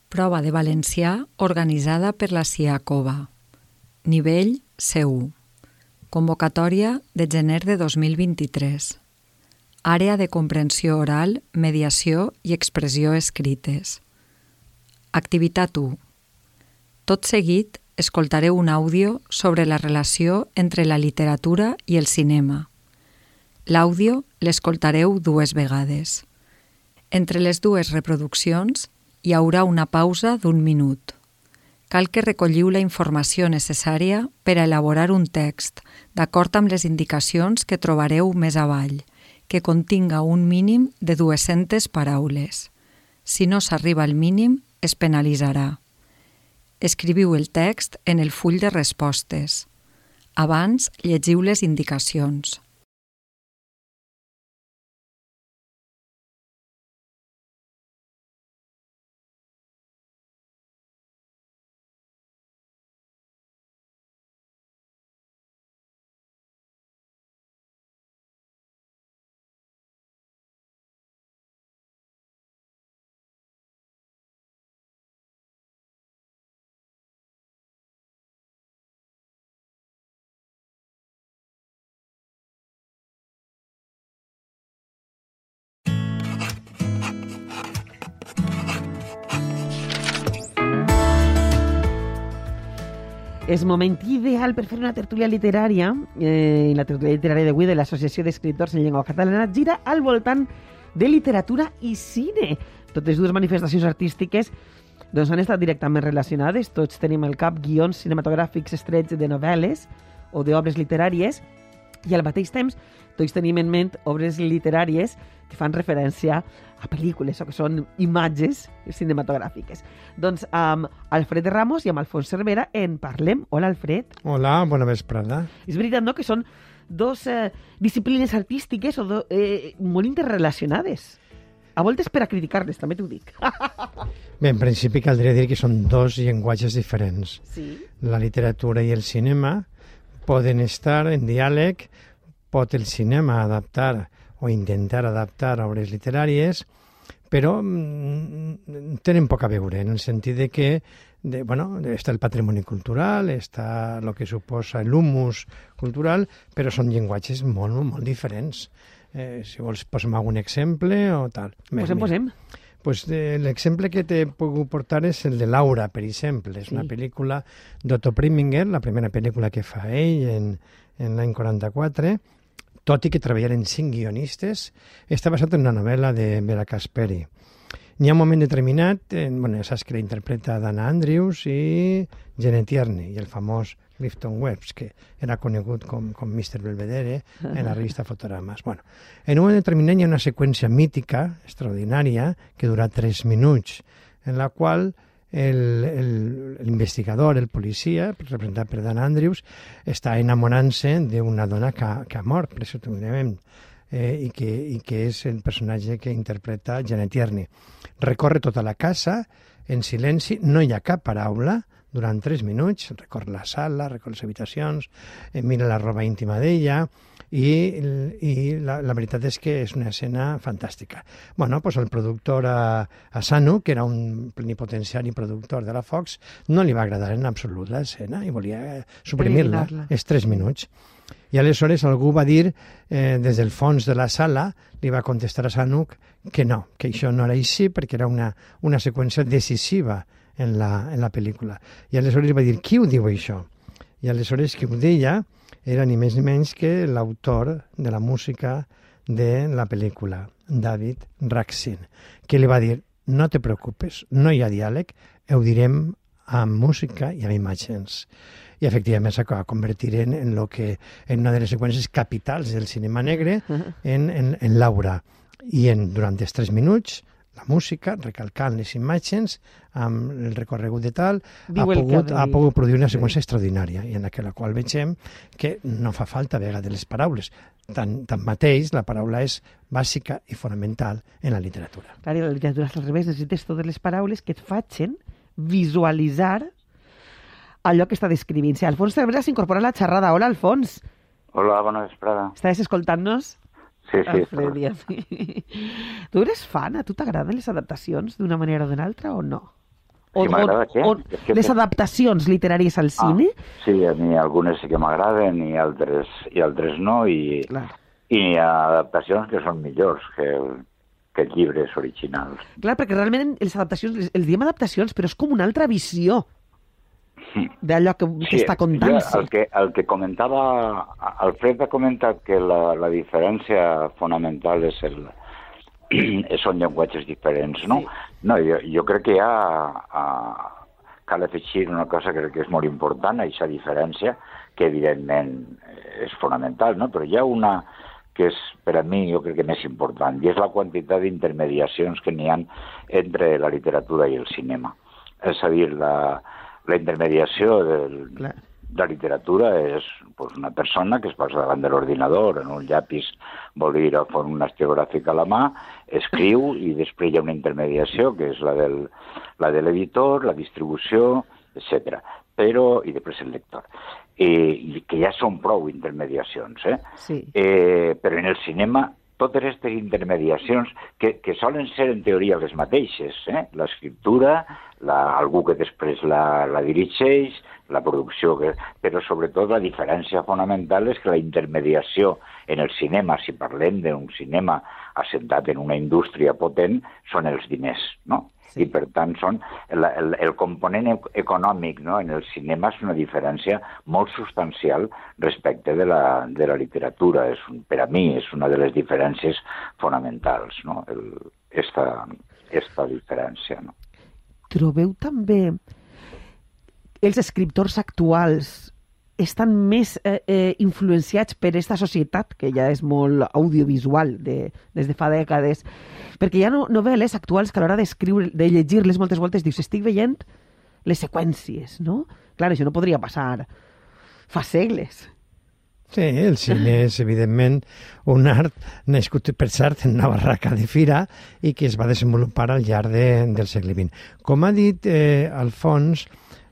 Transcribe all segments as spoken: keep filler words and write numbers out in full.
Prova de valencià organitzada per la CIACOVA. Nivell C u. Convocatòria de gener de dos mil vint-i-tres. Àrea de comprensió oral, mediació i expressió escrites. Activitat u. Tot seguit, escoltareu un àudio sobre la relació entre la literatura i el cinema. L'àudio l'escoltareu dues vegades. Entre les dues reproduccions hi haurà una pausa d'un minut. Cal que recolliu la informació necessària per a elaborar un text, d'acord amb les indicacions que trobareu més avall, que continga un mínim de dues-centes paraules. Si no s'arriba al mínim, es penalitzarà. Escriviu el text en el full de respostes. Abans, llegiu les indicacions. És moment ideal per fer una tertúlia literària. Eh, la tertúlia literària d'avui de l'Associació d'Escriptors en Llengua Catalana gira al voltant de literatura i cine. Totes dues manifestacions artístiques doncs, han estat directament relacionades. Tots tenim al cap guions cinematogràfics estrets de novel·les o d'obres literàries i al mateix temps tots tenim en ment obres literàries que fan referència a pel·lícules o que són imatges cinematogràfiques. Doncs amb Alfred Ramos i amb Alfons Cervera en parlem. Hola, Alfred. Hola, bona vesprada. És veritat, no?, que són dos eh, disciplines artístiques o do, eh, molt interrelacionades. A voltes per a criticar-les, també t'ho dic. Bé, en principi caldria dir que són dos llenguatges diferents. Sí. La literatura i el cinema poden estar en diàleg, pot el cinema adaptar o intentar adaptar obres literàries, però mm, tenen poc a veure, en el sentit de que de, bueno, està el patrimoni cultural, està el que suposa l'humus cultural, però són llenguatges molt, molt diferents. Eh, si vols, posem algun exemple o tal. Posem, posem. Pues, eh, l'exemple que t'he pogut portar és el de Laura, per exemple. És sí. Una pel·lícula d'Otto Preminger, la primera pel·lícula que fa ell en, en l'any quaranta-quatre, tot i que treballaren cinc guionistes, està basat en una novel·la de Vera Casperi. N'hi ha un moment determinat, eh, bueno, ja saps que la interpreta Dana Andrews i Janet Tierney, i el famós Clifton Webs, que era conegut com, com mister Belvedere en la revista Fotogrames. Bueno, en un moment determinat hi ha una seqüència mítica, extraordinària, que dura tres minuts, en la qual l'investigador, el, el policia, representat per Dan Andrews, està enamorant-se d'una dona que, que ha mort, presumiblement, eh, i, que, i que és el personatge que interpreta Janet Tierney. Recorre tota la casa en silenci, no hi ha cap paraula, durant tres minuts, recorre la sala, recorre les habitacions, eh, mira la roba íntima d'ella, i, i la, la veritat és que és una escena fantàstica. Bueno, pues el productor a, a Sanu, que era un plenipotenciari productor de la Fox, no li va agradar en absolut l'escena i volia suprimir-la, els tres minuts. I aleshores algú va dir, eh, des del fons de la sala, li va contestar a Sanuk que no, que això no era així perquè era una, una seqüència decisiva en la, en la pel·lícula. I aleshores va dir, qui ho diu això? I aleshores qui ho deia era ni més ni menys que l'autor de la música de la pel·lícula, David Raksin, que li va dir, no te preocupes, no hi ha diàleg, ho direm amb música i amb imatges. I efectivament s'acaba convertir en, en, lo que, en una de les seqüències capitals del cinema negre, en, en, en Laura. I en, durant els tres minuts, la música, recalcant les imatges, amb el recorregut de tal, ha pogut, ha pogut produir una seqüència extraordinària, i en la qual veiem que no fa falta a vegades les paraules. Tant, tanmateix, la paraula és bàsica i fonamental en la literatura. Clar, i la literatura és al revés, necessites totes les paraules que et facin visualitzar allò que està descrivint. Sí, Alfons Cervera s'incorpora a la xerrada. Hola, Alfons. Hola, bona vesprada. Estàs escoltant-nos? Sí, sí. Alfred, tu eres fan? A tu t'agraden les adaptacions d'una manera o d'una altra o no? O, Si m'agrada o, què? o És que les té- adaptacions literàries al cine? Ah, sí, a mi algunes sí que m'agraden i altres, i altres no, i, Clar. i hi ha adaptacions que són millors que, que llibres originals. Clar, perquè realment les adaptacions, les, els diem adaptacions, però és com una altra visió d'allò que, que està jo contant-se. el, que, el que comentava, Alfred ha comentat que la, la diferència fonamental és el, són llenguatges diferents, no? Sí. No, jo, jo crec que hi ha, uh, cal afegir una cosa que crec que és molt important, aquesta diferència, que evidentment és fonamental, no? Però hi ha una que és, per a mi, jo crec que més important, i és la quantitat d'intermediacions que n'hi ha entre la literatura i el cinema. És a dir, la, la intermediació del, Clar. de la literatura és pues, una persona que es posa davant de l'ordinador, en un llapis bolígraf o un estilogràfic a la mà, escriu i després hi ha una intermediació que és la del, la de l'editor, la distribució, etcètera. Però, i després el lector. I, i que ja són prou intermediacions, eh? Sí. Eh, però en el cinema totes aquestes intermediacions que, que solen ser en teoria les mateixes, eh? L'escriptura, la, algú que després la, la dirigeix, la producció, que, però sobretot la diferència fonamental és que la intermediació en el cinema, si parlem d'un cinema assentat en una indústria potent, són els diners, no? Sí. I per tant són el, el, el component econòmic, no? En el cinema és una diferència molt substancial respecte de la, de la literatura. És un, per a mi és una de les diferències fonamentals, no? El, esta, esta diferència, no? Trobeu també els escriptors actuals estan més eh, eh, influenciats per aquesta societat, que ja és molt audiovisual de, des de fa dècades, perquè hi ha no, novel·les actuals que a l'hora d'escriure, de llegir-les moltes voltes dius, estic veient les seqüències, no? Clar, això no podria passar fa segles. Sí, el cine és, evidentment, un art nascut, per cert, en una barraca de fira i que es va desenvolupar al llarg de, del segle vint. Com ha dit eh, Alfons,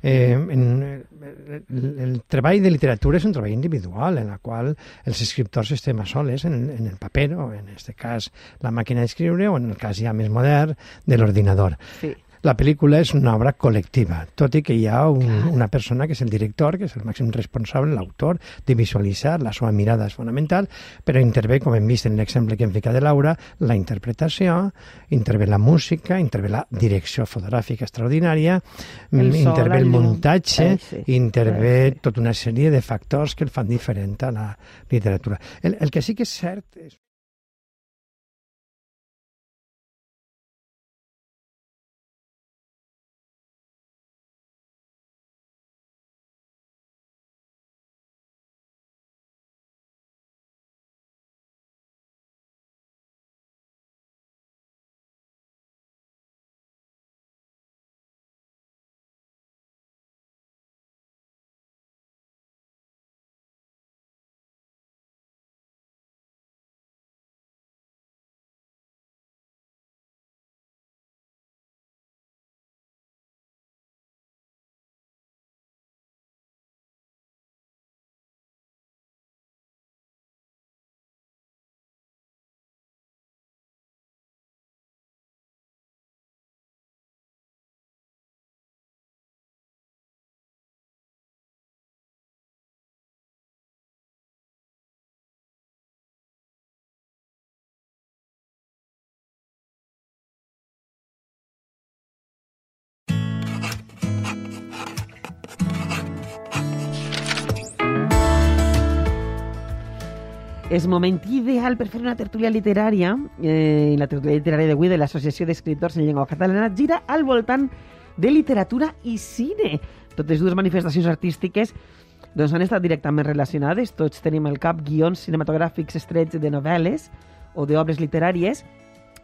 Eh, en, el, el treball de literatura és un treball individual en la qual els escriptors estem a soles en, en el paper, o en aquest cas la màquina d'escriure, o en el cas ja més modern de l'ordinador. Sí. La pel·lícula és una obra col·lectiva, tot i que hi ha un, una persona que és el director, que és el màxim responsable, l'autor, de visualitzar, la seva mirada és fonamental, però intervé, com hem vist en l'exemple que hem ficat de Laura, la interpretació, intervé la música, intervé la direcció fotogràfica extraordinària, el sol, intervé el muntatge, eh, sí. intervé eh, sí. tota una sèrie de factors que el fan diferent a la literatura. El, el que sí que és cert és És moment ideal per fer una tertúlia literària, eh, i la tertúlia literària d'avui de l'Associació d'Escriptors en Llengua Catalana gira al voltant de literatura i cine. Totes dues manifestacions artístiques doncs, han estat directament relacionades. Tots tenim al cap guions cinematogràfics estrets de novel·les o d'obres literàries,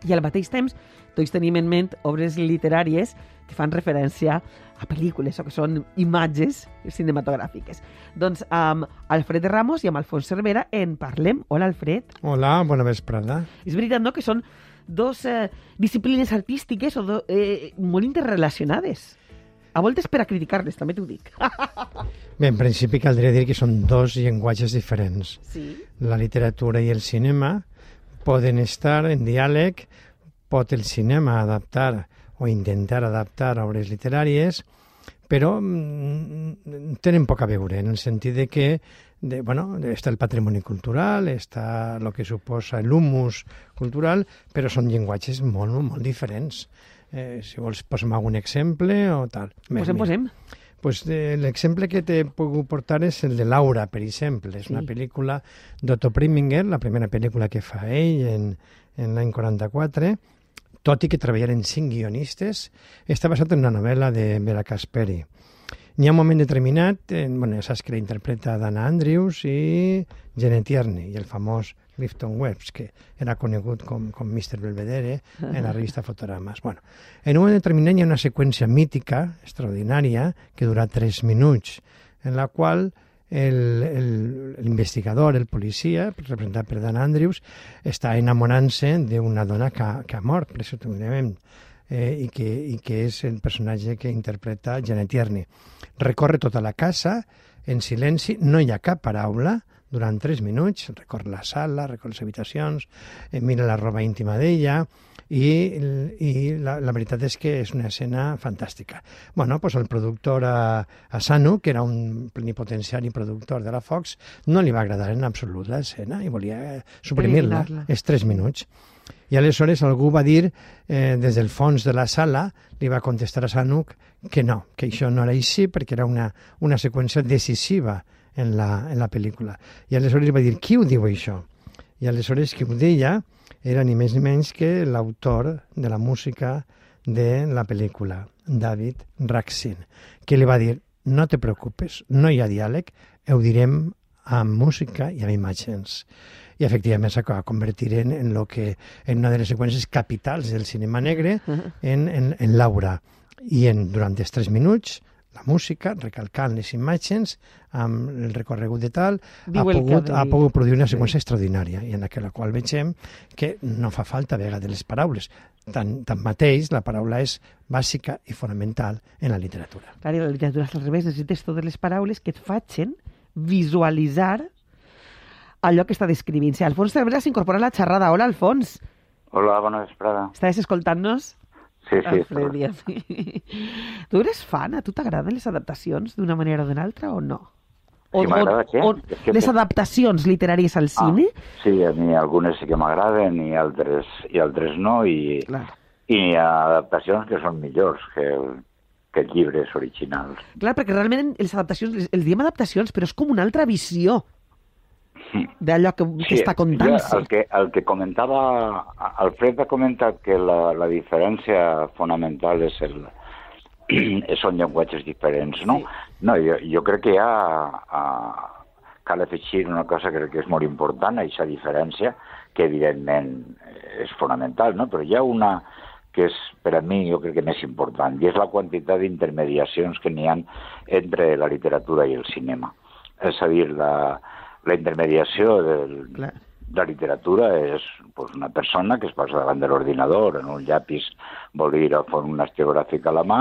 i al mateix temps tots tenim en ment obres literàries que fan referència a pel·lícules o que són imatges cinematogràfiques. Doncs amb Alfred Ramos i amb Alfons Cervera en parlem. Hola, Alfred. Hola, bona vesprada. És veritat, no?, que són dos eh, disciplines artístiques o do, eh, molt interrelacionades. A voltes per a criticar-les, també t'ho dic. Bé, en principi caldria dir que són dos llenguatges diferents. Sí. La literatura i el cinema poden estar en diàleg, pot el cinema adaptar o intentar adaptar obres literàries, però mm, tenen poc a veure, en el sentit de que de, bueno, està el patrimoni cultural, està el que suposa l'humus cultural, però són llenguatges molt, molt diferents. Eh, si vols, posem algun exemple o tal. Posem, posem. Pues, eh, l'exemple que t'he pogut portar és el de Laura, per exemple. És sí. una pel·lícula d'Otto Preminger, la primera pel·lícula que fa ell en, en l'any quaranta-quatre, tot i que treballaren cinc guionistes. Està basat en una novel·la de Vera Casperi. N'hi ha un moment determinat, eh, bueno, ja saps que la interpreta Dana Andrews i Janet Tierney, i el famós Clifton Webb, que era conegut com, com mister Belvedere en la revista Fotogrames. Bueno, en un moment determinat hi ha una seqüència mítica, extraordinària, que dura tres minuts, en la qual l'investigador, el, el policia, representat per Dana Andrews, està enamorant-se d'una dona que, que ha mort, presumiblement, eh, i, que, i que és el personatge que interpreta Janet Tierney. Recorre tota la casa en silenci, no hi ha cap paraula, durant tres minuts, recorre la sala, recorre les habitacions, eh, mira la roba íntima d'ella, i, i la, la veritat és que és una escena fantàstica. Bueno, pues el productor a, a Sanu, que era un plenipotenciari productor de la Fox, no li va agradar en absolut l'escena i volia suprimir-la, és tres minuts. I aleshores algú va dir, eh, des del fons de la sala, li va contestar a Sanuk que no, que això no era així, perquè era una, una seqüència decisiva en la, en la pel·lícula. I aleshores va dir, qui ho diu això? I aleshores qui ho deia era ni més ni menys que l'autor de la música de la pel·lícula, David Raksin, que li va dir, no te preocupes, no hi ha diàleg, ho direm amb música i amb imatges. I efectivament s'acaba convertir en, en, lo que, en una de les seqüències capitals del cinema negre, en, en, en Laura. I en, durant els tres minuts, la música, recalcant les imatges, amb el recorregut de tal, ha pogut, ha pogut produir una seqüència sí. extraordinària, i en la qual veiem que no fa falta a vegades les paraules. Tan, tanmateix, la paraula és bàsica i fonamental en la literatura. Clar, i la literatura és al revés, necessites totes les paraules que et facin visualitzar allò que està descrivint. Si Alfons Cervera s'incorpora a la xerrada. Hola, Alfons. Hola, bona vesprada. Estàs escoltant-nos? Sí, sí. Alfred, tu eres fan? A tu t'agraden les adaptacions d'una manera o d'una altra o no? O, sí, m'agrada, què? O, o les adaptacions literàries al cine? Ah, sí, a mi algunes sí que m'agraden i altres, i altres no, i, i hi ha adaptacions que són millors que, que llibres originals. Clar, perquè realment les adaptacions, els diem adaptacions, però és com una altra visió d'allò que, que sí, està contant-se. El que, el que comentava, Alfred ha comentat que la, la diferència fonamental és el, són llenguatges diferents, no? Sí. No, jo, jo crec que hi ha, uh, cal afegir una cosa que crec que és molt important, aquesta diferència, que evidentment és fonamental, no? Però hi ha una que és, per a mi, jo crec que més important, i és la quantitat d'intermediacions que n'hi ha entre la literatura i el cinema. És a dir, la La intermediació de la literatura és pues, una persona que es posa davant de l'ordinador, en un llapis bolígraf, un estilogràfic a la mà,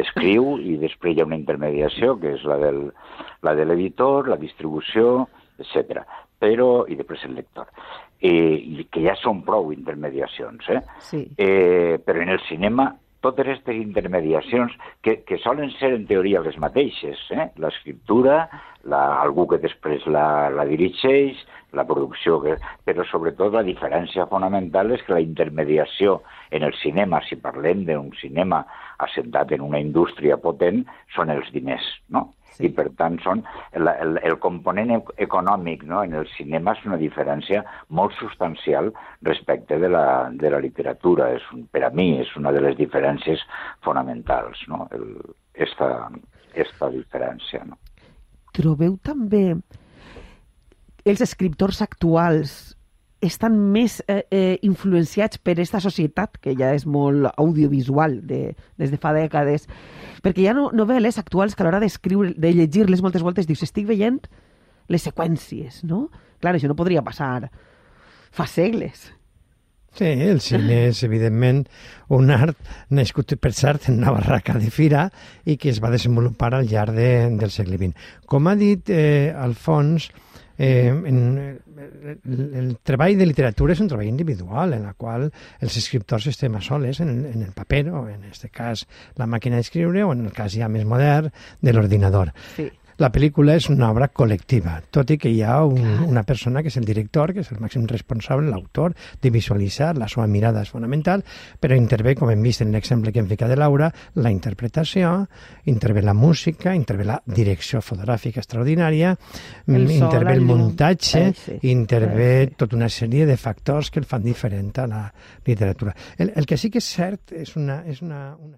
escriu i després hi ha una intermediació que és la del, la de l'editor, la distribució, etcètera. Però, i després el lector. Eh, i que ja són prou intermediacions, eh? Sí. Eh, però en el cinema totes aquestes intermediacions que, que solen ser en teoria les mateixes, eh? L'escriptura, la, algú que després la, la dirigeix, la producció, que, però sobretot la diferència fonamental és que la intermediació en el cinema, si parlem d'un cinema assentat en una indústria potent, són els diners, no? Sí. I per tant són el, el, el component econòmic, no? En el cinema és una diferència molt substancial respecte de la, de la literatura. És un, per a mi és una de les diferències fonamentals, no? El, esta, esta diferència, no? Trobeu també els escriptors actuals estan més eh, eh, influenciats per aquesta societat, que ja és molt audiovisual de, des de fa dècades, perquè hi ha no, novel·les actuals que a l'hora d'escriure, de llegir-les moltes voltes dius, estic veient les seqüències, no? Clar, això no podria passar fa segles. Sí, el cine és, evidentment, un art nascut, per cert, en una barraca de fira i que es va desenvolupar al llarg de, del segle vint. Com ha dit eh, Alfons, Eh, en, el, el treball de literatura és un treball individual en el qual els escriptors estem a soles en el, en el paper, o en aquest cas la màquina d'escriure, o en el cas ja més modern de l'ordinador. Sí. La pel·lícula és una obra col·lectiva, tot i que hi ha un, una persona que és el director, que és el màxim responsable, l'autor, de visualitzar, la seva mirada és fonamental, però intervé, com hem vist en l'exemple que hem ficat de Laura, la interpretació, intervé la música, intervé la direcció fotogràfica extraordinària, el intervé sol, el muntatge, eh, sí. intervé eh, sí. tota una sèrie de factors que el fan diferent a la literatura. El, el que sí que és cert és una... És una, una...